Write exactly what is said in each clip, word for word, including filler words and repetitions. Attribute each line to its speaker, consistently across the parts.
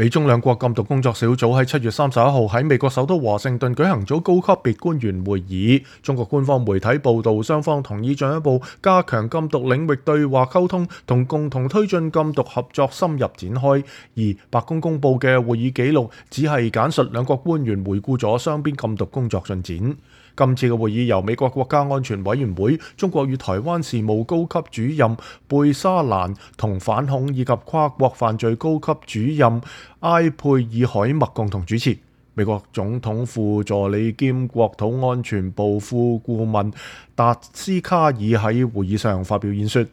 Speaker 1: 美中兩國禁毒工作小組喺七月三十一號喺美國首都華盛頓舉行咗高級別官員會議。中國官方媒體報道，雙方同意進一步加強禁毒領域對話溝通，同共同推進禁毒合作深入展開。而白宮公布嘅會議記錄只係簡述兩國官員回顧咗雙邊禁毒工作進展。今次嘅會議由美國國家安全委員會、中國與台灣事務高級主任貝沙蘭同反恐以及跨國犯罪高級主任埃佩爾海默共同主持。美國總統副助理兼國土安全部副顧問達斯卡爾喺會議上發表演說。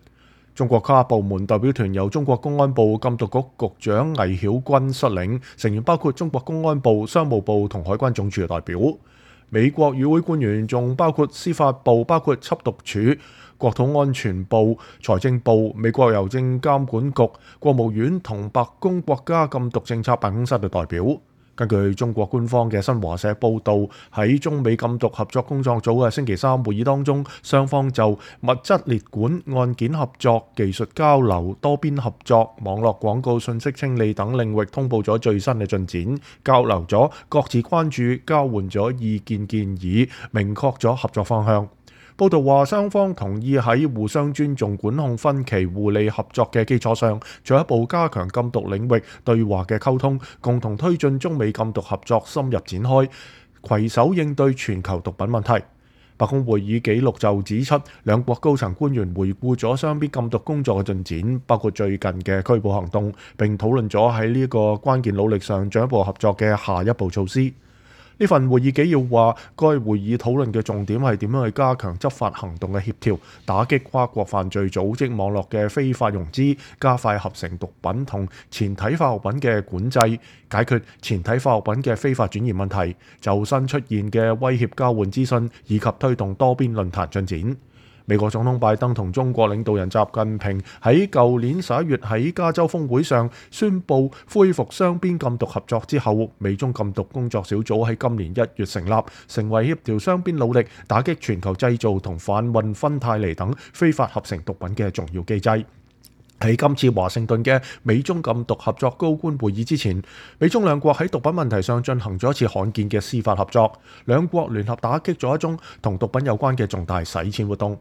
Speaker 1: 中國跨部門代表團由中國公安部禁毒局局長魏曉軍率領，成員包括中國公安部、商務部同海關總署嘅代表。美國與會官員仲包括司法部、包括緝毒處、國土安全部、財政部、美國郵政監管局、國務院同白宮國家禁毒政策辦公室嘅代表。根據中國官方嘅新華社報導，喺中美禁毒合作工作組嘅星期三會議當中，雙方就物質列管、案件合作、技術交流、多邊合作、網絡廣告、信息清理等領域通報咗最新嘅進展，交流咗各自關注，交換咗意見建議，明確咗合作方向。報道話，雙方同意喺互相尊重、管控分歧、互利合作嘅基礎上，進一步加強禁毒領域對話嘅溝通，共同推進中美禁毒合作深入展開，攜手應對全球毒品問題。白宮會議記錄就指出，兩國高層官員回顧咗雙邊禁毒工作嘅進展，包括最近嘅拘捕行動，並討論咗喺呢個關鍵努力上進一步合作嘅下一步措施。呢份會議紀要話，該會議討論嘅重點係點樣去加強執法行動嘅協調，打擊跨國犯罪組織網絡嘅非法融資，加快合成毒品同前體化學品嘅管制，解決前體化學品嘅非法轉移問題，就新出現嘅威脅交換資訊，以及推動多邊論壇進展。美國總統拜登同中國領導人習近平喺舊年十一月喺加州峰會上宣布恢復雙邊禁毒合作之後，美中禁毒工作小組喺今年一月成立，成為協調雙邊努力打擊全球製造同販運芬太尼等非法合成毒品嘅重要機制。喺今次華盛頓嘅美中禁毒合作高官會議之前，美中兩國喺毒品問題上進行咗一次罕見嘅司法合作，兩國聯合打擊咗一宗同毒品有關嘅重大洗錢活動。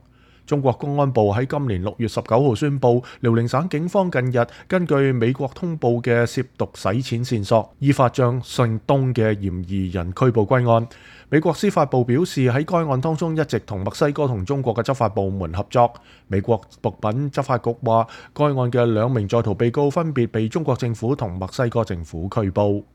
Speaker 1: 中國公安部喺今年六月十九號宣布，遼寧省警方近日根據美國通報嘅涉毒洗錢線索，依法將姓東嘅嫌疑人拘捕歸案。美國司法部表示，喺該案當中一直同墨西哥同中國嘅執法部門合作。美國毒品執法局話，該案嘅兩名在逃被告分別被中國政府同墨西哥政府拘捕。